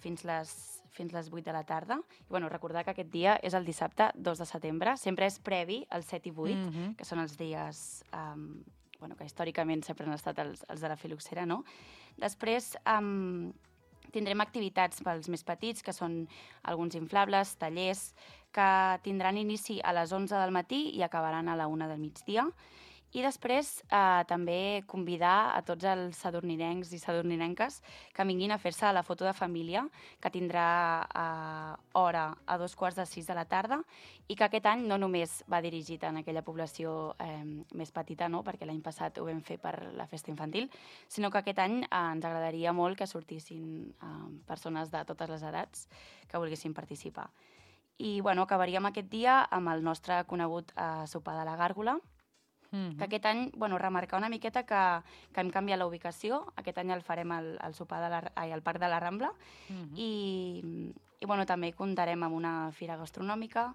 fins les 8 de la tarda. I bueno, recordar que aquest dia és el dissabte 2 de setembre, sempre és previ al 7 i 8, que són els dies que històricament sempre han estat els de la filoxera, no? Després tindrem activitats pels més petits, que són alguns inflables, tallers, que tindran inici a les 11 del matí i acabaran a la 1 del migdia. I després també convidar a tots els sadurninencs i sadurninenques que vinguin a fer-se la foto de família, que tindrà hora a 5:45 de la tarda, i que aquest any no només va dirigit en aquella població més petita, no? Perquè l'any passat ho vam fer per la festa infantil, sinó que aquest any ens agradaria molt que sortissin persones de totes les edats que volguessin participar. I acabaríem aquest dia amb el nostre conegut sopar de la Gàrgola, que aquest any, remarcar una miqueta que hem canviat la ubicació. Aquest any el farem al Parc de la Rambla, i també comptarem amb una fira gastronòmica,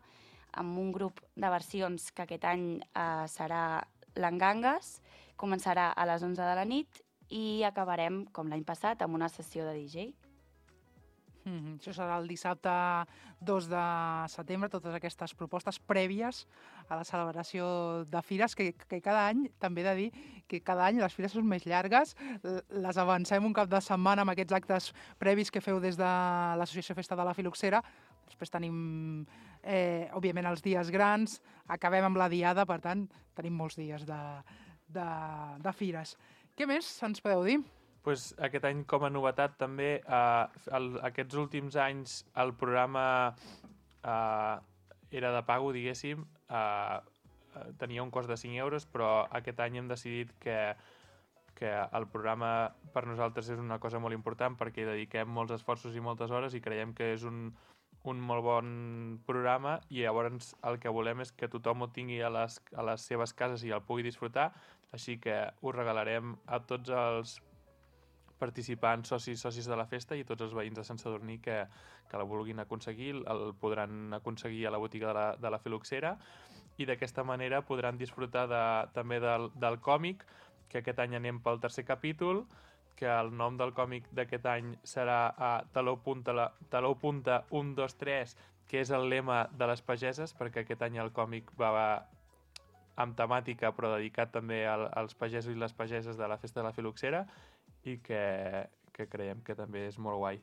amb un grup de versions que aquest any serà l'Engangues, començarà a les 11 de la nit i acabarem, com l'any passat, amb una sessió de DJ. Això serà el dissabte 2 de setembre, totes aquestes propostes prèvies a la celebració de fires, que cada any, també he de dir, que cada any les fires són més llargues, les avancem un cap de setmana amb aquests actes previs que feu des de l'Associació Festa de la Filoxera, després tenim, òbviament, els dies grans, acabem amb la diada, per tant, tenim molts dies de fires. Què més ens podeu dir? Pues aquest any, com a novetat, també, aquests últims anys el programa era de pago, diguéssim, tenia un cost de 5 euros, però aquest any hem decidit que el programa per nosaltres és una cosa molt important perquè hi dediquem molts esforços i moltes hores i creiem que és un molt bon programa, i llavors el que volem és que tothom ho tingui a les seves cases i el pugui disfrutar, així que ho regalarem a tots els participants, socis de la festa, i tots els veïns de Sant Sadurní que la vulguin aconseguir, el podran aconseguir a la botiga de la Filoxera, i d'aquesta manera podran disfrutar també del còmic, que aquest any anem pel 3è capítol, que el nom del còmic d'aquest any serà Taló punta 1, 2, 3, que és el lema de les pageses, perquè aquest any el còmic va amb temàtica, però dedicat també als pagesos i les pageses de la festa de la Filoxera, i que creiem que també és molt guai.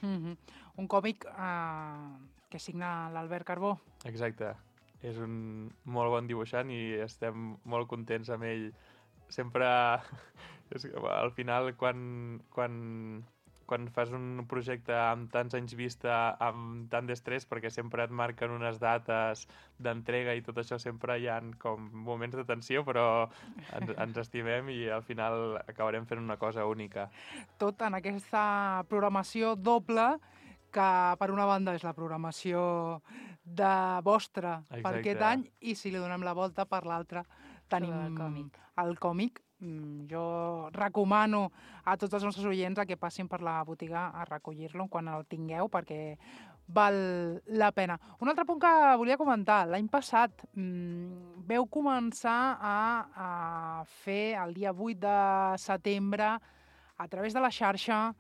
Un còmic que signa l'Albert Carbó. Exacte. És un molt bon dibuixant i estem molt contents amb ell. Sempre, al final, quan fas un projecte amb tants anys vista, amb tant d'estrès, perquè sempre et marquen unes dates d'entrega i tot això, sempre hi ha com moments de tensió, però ens estimem i al final acabarem fent una cosa única. Tot en aquesta programació doble, que per una banda és la programació vostra per aquest any, i si li donem la volta, per l'altra tenim el còmic. Jo recomano a tots els nostres oients que passin per la botiga a recollir-lo quan el tingueu, perquè val la pena. Un altre punt que volia comentar. L'any passat veu començar a fer el dia 8 de setembre, a través de la xarxa,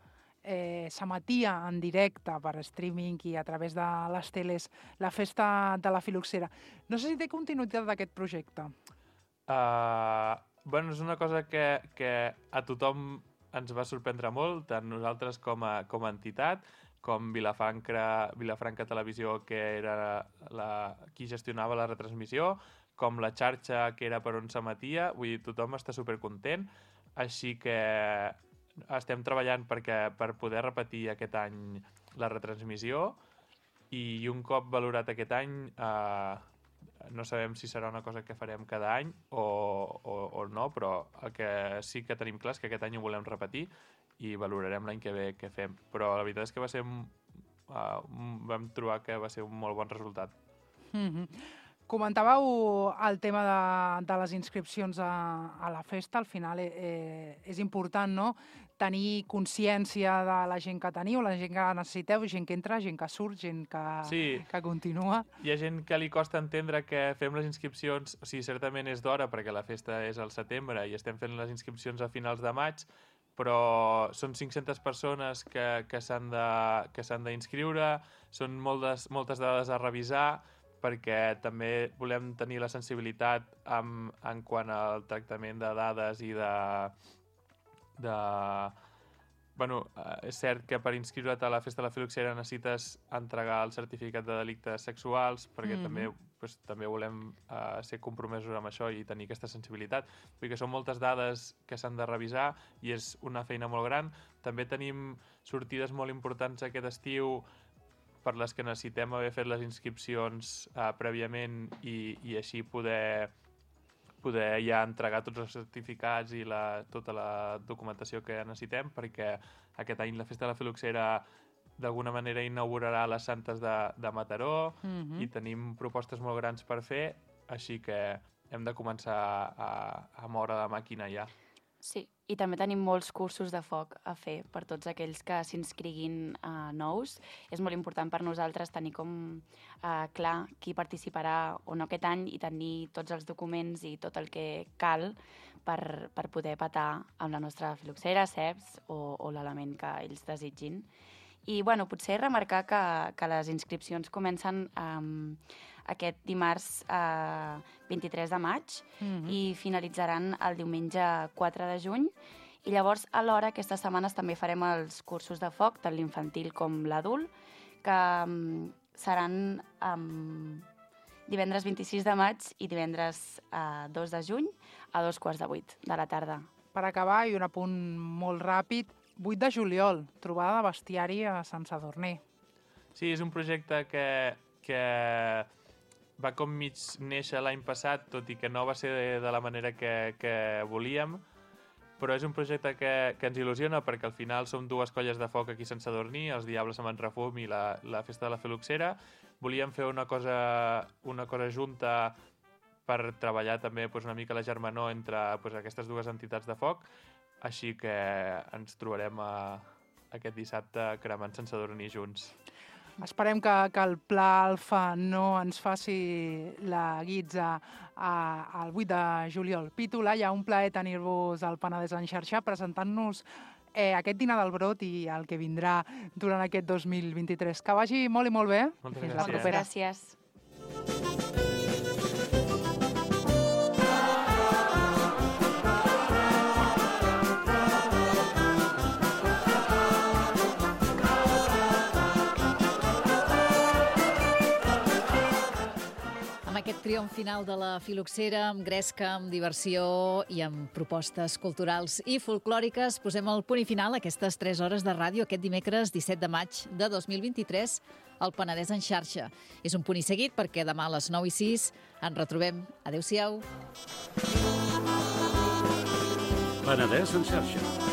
s'emetia en directe per streaming i a través de les teles la festa de la Filoxera. No sé si té continuïtat d'aquest projecte. És una cosa que a tothom ens va sorprendre molt, tant nosaltres com a entitat, com Vilafranca Televisió, que era qui gestionava la retransmissió, com la xarxa, que era per on s'emetia. Vull dir, tothom està supercontent, així que estem treballant per poder repetir aquest any la retransmissió, i un cop valorat aquest any no sabem si serà una cosa que farem cada any o no, però el que sí que tenim clar és que aquest any ho volem repetir i valorarem l'any que ve què fem. Però la veritat és que vam trobar que va ser un molt bon resultat. Comentàveu el tema de les inscripcions a la festa. Al final és important, no?, tenir consciència de la gent que teniu, la gent que necessiteu, gent que entra, gent que surt, gent que continua. Hi ha gent que li costa entendre que fem les inscripcions, o sigui, certament és d'hora perquè la festa és al setembre i estem fent les inscripcions a finals de maig, però són 500 persones que s'han d'inscriure, són moltes dades a revisar, perquè també volem tenir la sensibilitat en quant al tractament de dades i és cert que per inscriure't a la festa de la Filoxera necessites entregar el certificat de delictes sexuals, perquè també també volem ser compromesos amb això i tenir aquesta sensibilitat. Vull dir que són moltes dades que s'han de revisar i és una feina molt gran. També tenim sortides molt importants aquest estiu per les que necessitem haver fet les inscripcions prèviament i així poder ja entregar tots els certificats i tota la documentació que necessitem, perquè aquest any la Festa de la Filoxera d'alguna manera inaugurarà les Santes de Mataró i tenim propostes molt grans per fer, així que hem de començar a moure la màquina ja. Sí, i també tenim molts cursos de foc a fer per tots aquells que s'inscriguin nous. És molt important per nosaltres tenir com clar qui participarà o no aquest any i tenir tots els documents i tot el que cal per poder petar amb la nostra filoxera, ceps o l'element que ells desitgin. I bueno, potser remarcar que les inscripcions comencen aquest dimarts 23 de maig i finalitzaran el diumenge 4 de juny. I llavors, alhora, aquestes setmanes també farem els cursos de foc, tant l'infantil com l'adult, que seran divendres 26 de maig i divendres 2 de juny a 7:15 de la tarda. Per acabar, i un apunt molt ràpid, 8 de juliol, trobada de bestiari a Sant Sadurní. Sí, és un projecte que va com mig néixer l'any passat, tot i que no va ser de la manera que volíem, però és un projecte que ens il·lusiona perquè al final som dues colles de foc aquí a Sant Sadurní, els Diables amb en Refum i la Festa de la Filoxera. Volíem fer una cosa junta per treballar també una mica la germanor entre aquestes dues entitats de foc, així que ens trobarem aquest dissabte cremant Sant Sadurní junts. Esperem que el Pla Alfa no ens faci la guitza el 8 de juliol. Pitu, Laia, un plaer tenir-vos al Penedès en xarxa presentant-nos aquest dinar del Brot i el que vindrà durant aquest 2023. Que vagi molt i molt bé. Moltes Fins gràcies. la propera. Gràcies. Amb aquest triomf final de la Filoxera, amb gresca, amb diversió i amb propostes culturals i folclòriques, posem el punt i final a aquestes 3 hores de ràdio aquest dimecres 17 de maig de 2023 al Penedès en xarxa. És un punt i seguit perquè demà a les 9:06 ens retrobem. Adéu-siau. Penedès en xarxa.